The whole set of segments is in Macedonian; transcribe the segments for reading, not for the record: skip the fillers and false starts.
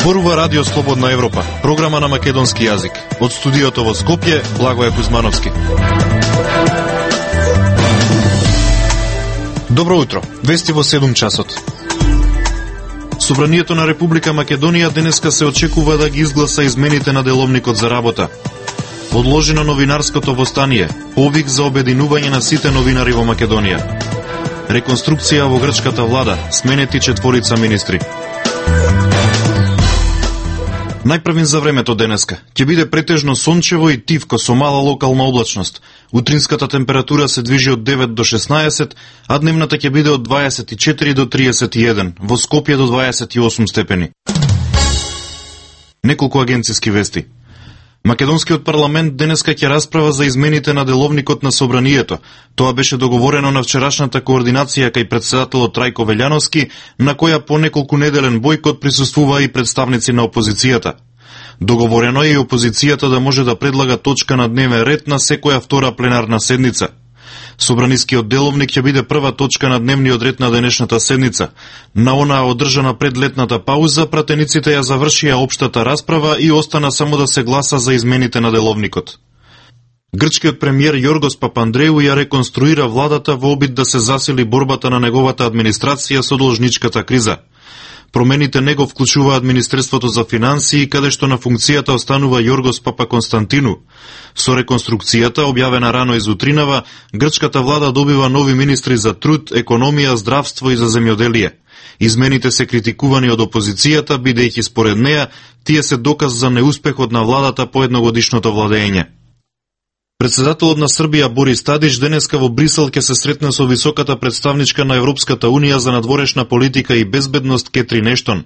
Зборува Радио Слободна Европа, програма на македонски јазик. Од студиото во Скопје, Благоје Кузмановски. Добро утро, вести во 7 часот. Собранието на Република Македонија денеска се очекува да ги изгласа измените на деловникот за работа. Одложено новинарското востание, повик за обединување на сите новинари во Македонија. Реконструкција во грчката влада, сменети 4 министри. Најпрвин за времето денеска. Ќе биде претежно сончево и тивко со мала локална облачност. Утринската температура се движи од 9 до 16, а дневната ќе биде од 24 до 31, во Скопје до 28 степени. Неколку агенциски вести. Македонскиот парламент денеска ќе расправа за измените на деловникот на собранието. Тоа беше договорено на вчерашната координација кај претседателот Трајко Велјановски, на која по неколку неделен бојкот присуствува и представници на опозицијата. Договорено е и опозицијата да може да предлага точка на дневен ред на секоја втора пленарна седница. Собранискиот деловник ќе биде прва точка на дневниот ред на денешната седница. На онаа одржана пред летната пауза, пратениците ја завршија општата расправа и остана само да се гласа за измените на деловникот. Грчкиот премиер Јоргос Папандреу ја реконструира владата во обид да се засили борбата на неговата администрација со должничката криза. Промените не го вклучуваат Министерството за финансии, каде што на функцијата останува Јоргос Папаконстантину. Со реконструкцијата, објавена рано изутринава, грчката влада добива нови министри за труд, економија, здравство и за земјоделие. Измените се критикувани од опозицијата, бидејќи според неа, тие се доказ за неуспехот на владата по едногодишното владење. Председателот на Србија Борис Тадич денеска во Брисел ќе се сретне со високата представничка на Европската Унија за надворешна политика и безбедност Кетрин Ештон.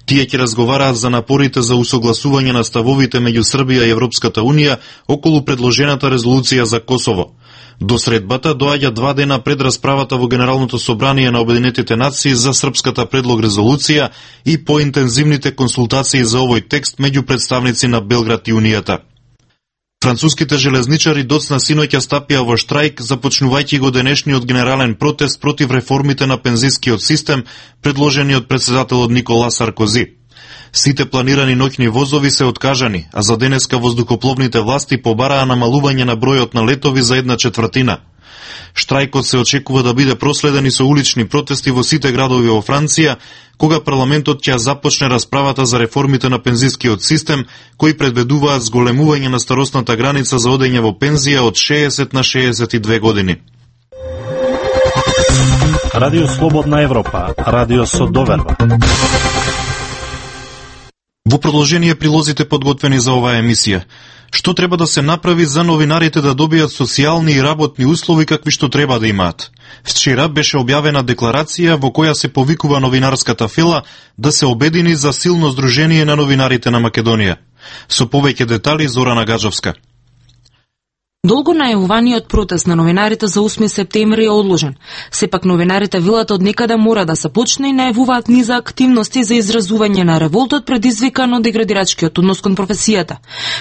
Тие ќе разговараат за напорите за усогласување на ставовите меѓу Србија и Европската Унија околу предложената резолуција за Косово. До средбата доаѓа 2 дена пред расправата во Генералното собрание на Обединетите нации за српската предлог резолуција и поинтензивните консултации за овој текст меѓу представници на Белград и Унијата. Француските железничари доцна синоќа стапија во штрајк, започнувајќи го денешниот генерален протест против реформите на пензискиот систем, предложени од председателот Никола Саркози. Сите планирани ноќни возови се откажани, а за денеска воздухопловните власти побараа намалување на бројот на летови за 1/4. Штрајкот се очекува да биде проследен и со улични протести во сите градови во Франција, кога парламентот ќе започне расправата за реформите на пензискиот систем, кои предвидуваат зголемување на старосната граница за одење во пензија од 60 на 62 години. Радио Слободна Европа, радио со доверба. Во продолжение прилозите подготвени за оваа емисија. Што треба да се направи за новинарите да добијат социјални и работни услови какви што треба да имаат? Вчера беше објавена декларација во која се повикува новинарската фела да се обедини за силно здружение на новинарите на Македонија. Со повеќе детали Зорана Гаджовска. Долго најавуваниот протест на новинарите за 8 септември е одложен. Сепак новинарите велат од некаде мора да се почне и најавуваат низа активности за изразување на револтот предизвикан од деградирачкиот однос кон професијата.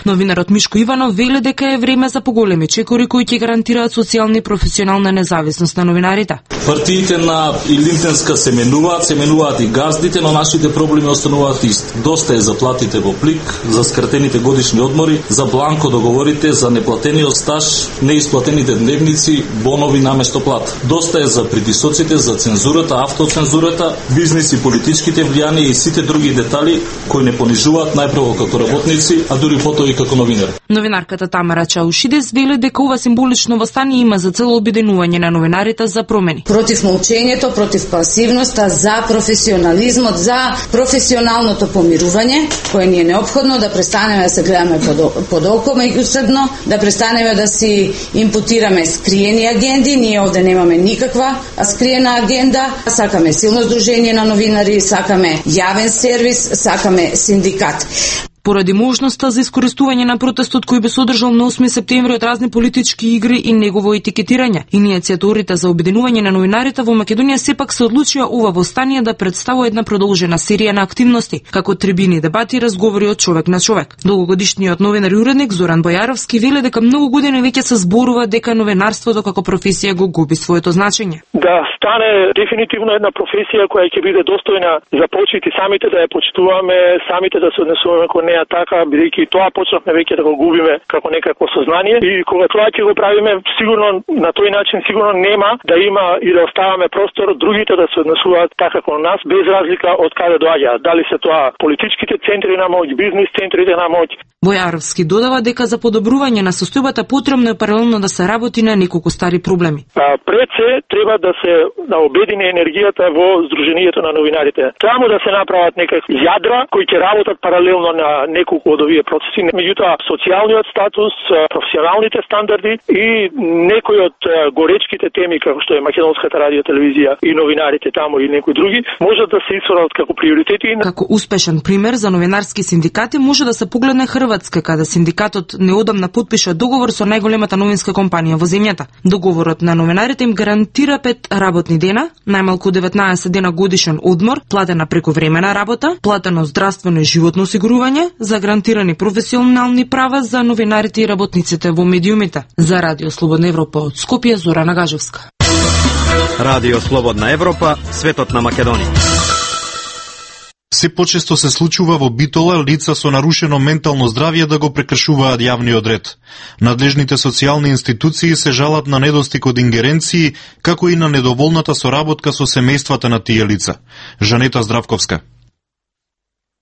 Новинарот Мишко Иванов вели дека е време за поголеми чекори кои ќе гарантираат социјална и професионална независност на новинарите. Партиите на Илимпенска се менуваат и газдите, но нашите проблеми остануваат исти. Доста е за платите во плик, за скратените годишни одмори, за бланко договорите, за неплатениот стаж, неисплатените дневници, бонови наместо плата. Доста е за притисоците, за цензурата, автоцензурата, бизнис и политичките влијанија и сите други детали кои не понижуваат најпрво како работници, а дури потоа и како новинари. Новинарката Тамара Чаушидес вели дека ова символично востание има за цел обединување на новинарите за промени. Против молчењето, против пасивноста, за професионализмот, за професионалното помирување, кое ни е неопходно, да престанеме да се гледаме под око меѓусебно, да престанеме да си импутираме скриени агенди. Ние овде немаме никаква скриена агенда. Сакаме силно здружение на новинари, сакаме јавен сервис, сакаме синдикат. Поради можноста за искористување на протестот кој би содржал на 8 септември од разни политички игри и негово етикетирање, иницијаторите за обединување на новинарите во Македонија сепак се одлучија ова востание да представува една продолжена серија на активности, како трибини, дебати и разговори од човек на човек. Долгогодишниот новинар и уредник Зоран Бојаровски вели дека многу години веќе се зборува дека новинарството како професија го губи своето значење. Да стане дефинитивно една професија која ќе биде достојна за почит и самите да ја почитуваме, самите да се однесуваме кон неа така, бидејќи тоа почнавме веќе да го губиме како некакво сознание и кога тоа ќе го правиме, сигурно на тој начин сигурно нема да има и да оставаме простор другите да се однесуваат така кон нас без разлика од каде доаѓаат, дали се тоа политичките центри на моќ, бизнис центрите на моќ. Бојаровски додава дека за подобрување на состојбата потребно е паралелно да се работи на неколку стари проблеми. Пред се треба да се обедини енергијата во Сдруженијето на новинарите. Таму да се направат некакви јадра кои ќе работат паралелно на неколку од овие процеси, меѓутоа социјалниот статус, професионалните стандарди и некои од горечките теми како што е Македонската радиотелевизија и новинарите таму и некои други можат да се исфрлат како приоритети. Како успешен пример за новинарски синдикати може да се погледне Хрватска, каде синдикатот неодамна потпиша договор со најголемата новинска компанија во земјата. Договорот на новинарите им гарантира 5 работни дена, најмалку 19 дена годишен одмор, платена прековремена работа, платено здравствено и животно осигурување, за гарантирани професионални права за новинарите и работниците во медиумите. За Радио Слободна Европа од Скопје, Зора Нагажевска. Радио Слободна Европа, светот на Македонија. Се почесто се случува во Битола лица со нарушено ментално здравје да го прекршуваат јавниот ред. Надлежните социјални институции се жалат на недостиг од ингеренции, како и на недоволната соработка со семејствата на тие лица. Жанета Здравковска.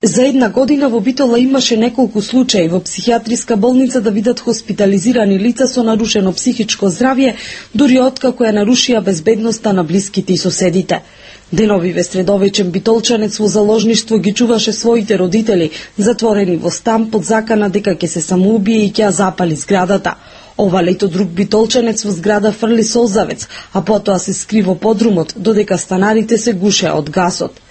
За една година во Битола имаше неколку случаи во психијатриска болница да видат хоспитализирани лица со нарушено психичко здравје, дури откако ја нарушија безбедноста на блиските и соседите. Деновиве средовечен битолчанец во заложништво ги чуваше своите родители, затворени во стан под закана дека ќе се самоубие и ќе ја запали зградата. Ова лето друг битолчанец во зграда фрли солзавец, а потоа се скри во подрумот, додека станарите се гушеа од гасот.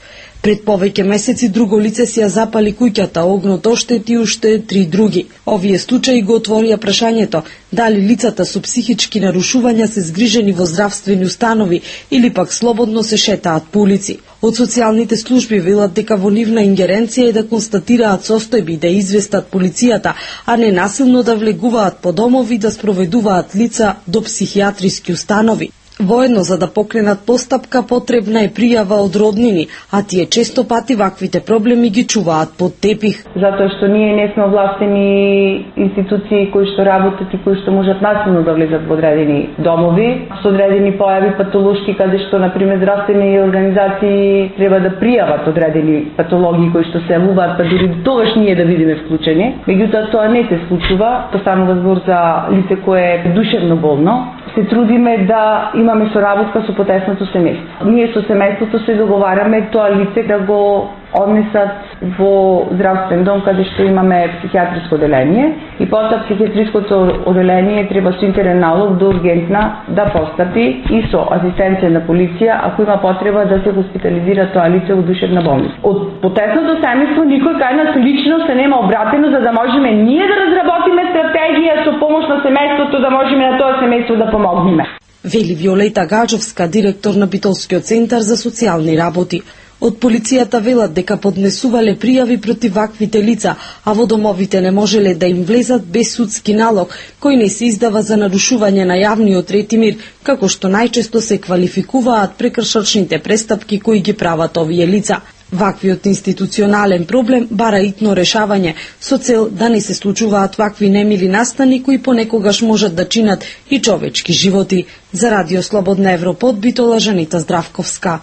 Пред повеќе месеци друго лице си ја запали куќата, огнот оштети уште 3 други. Овие случаи го отворија прашањето дали лицата со психички нарушувања се згрижени во здравствени установи или пак слободно се шетаат по улици. Од социјалните служби велат дека во нивна ингеренција е да констатираат состојби и да известат полицијата, а не насилно да влегуваат по домови да спроведуваат лица до психијатриски установи. Воедно за да покренат постапка потребна е пријава од роднини, а тие често пати ваквите проблеми ги чуваат под тепих. Затоа што ние не сме овластени институции кои што работат и кои што можат насилно да влезат во одредени домови, со одредени појави патолошки, каде што, например, здравствени организации треба да пријават одредени патологии кои што се јавуваат, па дури тогаш ние да видиме вклучени. Меѓутоа тоа не се случува, тоа станува збор за лице кое е душевно болно. Се трудиме да имаме соработка со потесното семејство. Ние со семејството се договараме тоа лице да го однесат во здравствен дом каде што имаме психијатриско оделение и потоа психијатриското оделение треба со интерен налог до ургентна да постапи и со асистенција на полиција ако има потреба да се хоспитализира тоа лице во душевна болница. Од потесното семејство никој кај нас лично се нема обратено за да можеме ние да разработиме стратегија со помош на семејството да можеме на тоа семејство да помогнеме. Вели Виолета Гаджовска, директор на Битолскиот центар за социјални работи. Од полицијата велат дека поднесувале пријави против ваквите лица, а во домовите не можеле да им влезат без судски налог, кој не се издава за нарушување на јавниот ред и мир, како што најчесто се квалификуваат прекршочните престапки кои ги прават овие лица. Ваквиот институционален проблем бара итно решавање, со цел да не се случуваат вакви немили настани кои понекогаш можат да чинат и човечки животи. За Радио Слободна Европа од Битола, Жанета Здравковска.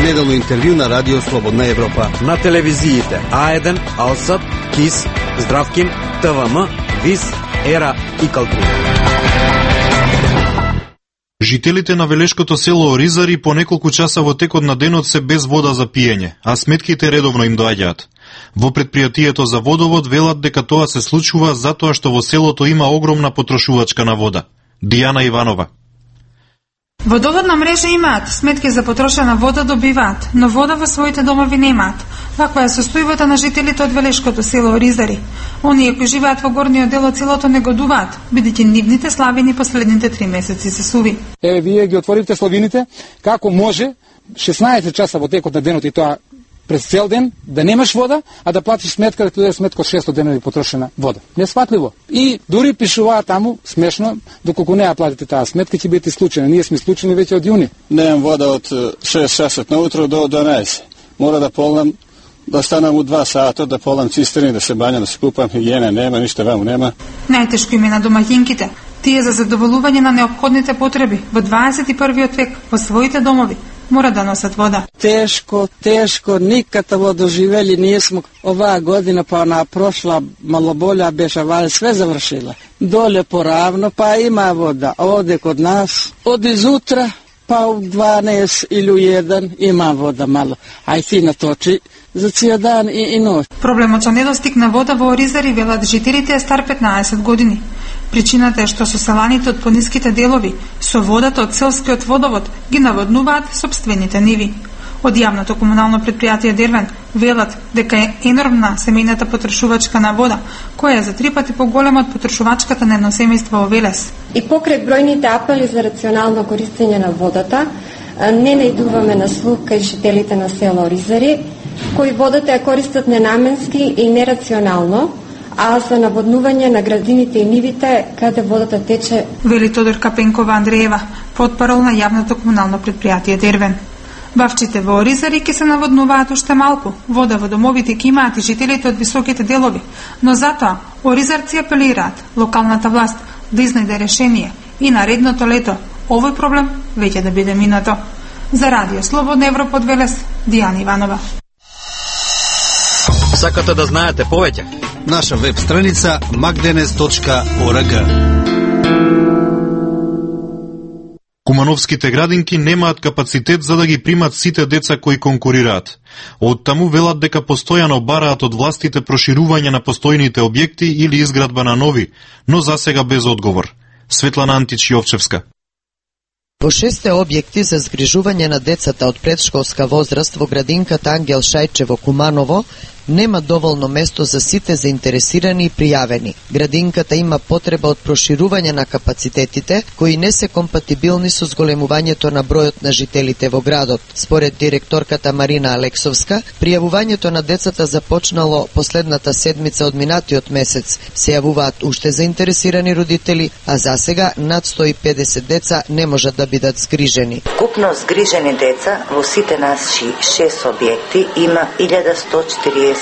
Неделно интервју на Радио Слободна Европа. На телевизиите А1, Алсат, КИС, Здравкин, ТВМ, ВИС, ЕРА и Калтура. Жителите на Велешкото село Оризари по неколку часа во текот на денот се без вода за пиење, а сметките редовно им доаѓаат. Во предпријатието за водовод велат дека тоа се случува затоа што во селото има огромна потрошувачка на вода. Дијана Иванова. Водоводна мрежа имаат, сметки за потрошена вода добиваат, но вода во своите домови немаат. Ваква е состојбата на жителите од Велешкото село Оризари. Оние кои живеат во горниот дел од селото негодуваат, бидејќи нивните славини последните 3 месеци се суви. Еве вие ги отворивте славините, како може 16 часа во текот на денот и тоа през цел ден да немаш вода, а да платиш сметка, да ти даде сметка од 600 денови потрошена вода. Несфатливо. И дури пишуваат таму, смешно, доколку не ја платите таа сметка, ќе бидете исклучени. Ние сме исклучени веќе од јуни. Немам вода од 6 часа наутро до 12. Мора да полнам, да станам у 2 сата, да полнам цистерни, да се бањам, да се купам, хигиена нема, ништо ваму нема. Најтешко им е на домаќинките. Тие за задоволување на неопходните потреби во 21. век во своите домови мора да носат вода. Тешко, никада во доживели ние смо оваа година, па на прошла мало болја беше, вали све завршила. Доле поравно, па има вода. Оде код нас, од изутра, па у 12 или у 1 има вода мало. Ај си наточи за ција дан и ноќ. Проблемот со недостиг на вода во Оризари, велат жителите, е стар 15 години. Причината е што соселаните од пониските делови со водата од селскиот водовод ги наводнуваат сопствените ниви. Од јавното комунално предпријатие Дервен велат дека е енормна семејната потрошувачка на вода, која е за 3 пати поголема од потрошувачката на едно семејство во Велес. И покрај бројните апели за рационално користење на водата, не најдуваме на слух кај жителите на село Оризари, кои водата ја користат ненаменски и нерационално, а за наводнување на градините и нивите каде водата тече. Вели Тодор Капенкова Андреева, потпарол на јавното комунално предпријатие Дервен. Бавчите во Оризари ќе се наводнуваат уште малку. Вода во домовите ќе имаат и жителите од високите делови, но затоа оризарци апелираат локалната власт да изнајде решение и наредното лето овој проблем веќе да биде минато. За Радио Слободна Европа од Велес, Дијана Иванова. Сакате да знаете повеќе? Наша веб страница magdenes.org. Кумановските градинки немаат капацитет за да ги примат сите деца кои конкурираат. Од таму велат дека постојано бараат од властите проширување на постојните објекти или изградба на нови, но засега без одговор. Светлана Антич-Јовчевска. Во 6 објекти за згрижување на децата од предшколска возраст во градинката Ангел Шајче во Куманово нема доволно место за сите заинтересирани и пријавени. Градинката има потреба од проширување на капацитетите, кои не се компатибилни со зголемувањето на бројот на жителите во градот. Според директорката Марина Алексовска, пријавувањето на децата започнало последната седмица од минатиот месец. Се јавуваат уште заинтересирани родители, а засега над 150 деца не можат да бидат згрижени. Купно згрижени деца во сите наши 6 објекти има 1147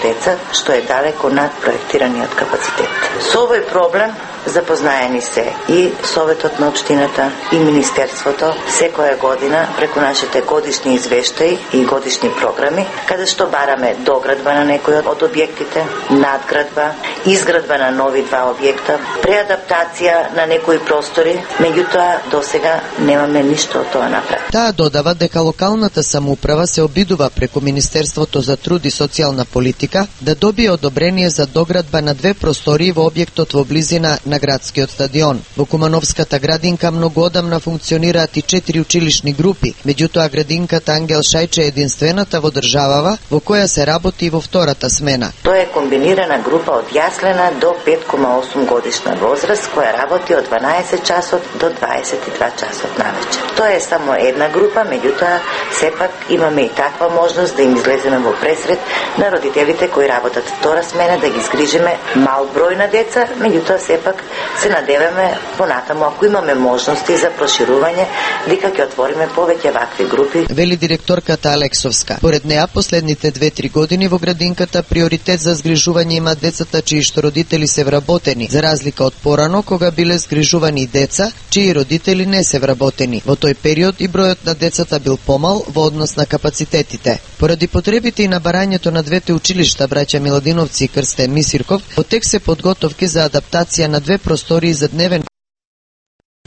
деца, што е далеко над проектираниот капацитет. Со овој проблем запознаени се и Советот на општината и Министерството секоја година преку нашите годишни извештаи и годишни програми, каде што бараме доградба на некој од објектите, надградба, изградба на нови 2 објекта, преадаптација на некои простори, меѓутоа досега немаме ништо од тоа направено. Таа додава дека локалната самоуправа се обидува преку Министерството за труд и социјална политика да добие одобрение за доградба на 2 простории во објектот во близина на градскиот стадион. Во Кумановската градинка многу одамна функционираат и 4 училишни групи, меѓутоа градинката Ангел Шајче е единствената во државава во која се работи во втората смена. Тоа е комбинирана група од јаслена до 5,8 годишна возраст која работи од 12 часот до 22 часот навечер. Тоа е само една група, меѓутоа сепак имаме и таква можност да им излеземе во пресред на родителите кои работат втора смена, да ги згрижиме мал број на деца, меѓутоа сепак се надеваме понатаму ако имаме можности за проширување, дека ќе отвориме повеќе вакви групи. Вели директорката Алексовска. Поред неа последните 2-3 години во градинката приоритет за згрижување имаат децата чии што родители се вработени, за разлика од порано кога биле згрижувани деца чии родители не се вработени. Во тој период и бројот на децата бил помал во однос на капацитетите. Поради потребите и на барањето на 2 училишта браќа Миладиновци и Крстен Мисирков, во тек се подготовки за адаптација на 2 простории за дневен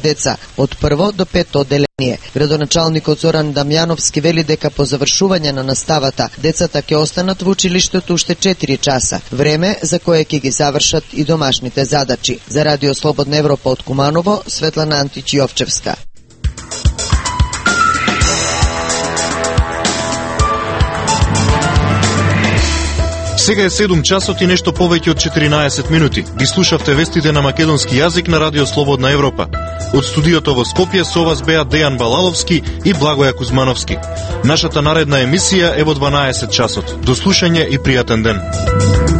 деца од 1 до 5 одделение. Градоначалникот Зоран Дамјановски вели дека по завршување на наставата децата ќе останат во училиштето уште 4 часа, време за кое ќе ги завршат и домашните задачи. За Радио Слободна Европа од Куманово, Светлана Антич-Јовчевска. Сега е 7 часот и нешто повеќе од 14 минути. Ги слушавте вестите на македонски јазик на Радио Слободна Европа. Од студиото во Скопје со вас беа Дејан Балаловски и Благоја Кузмановски. Нашата наредна емисија е во 12 часот. До слушање и пријатен ден.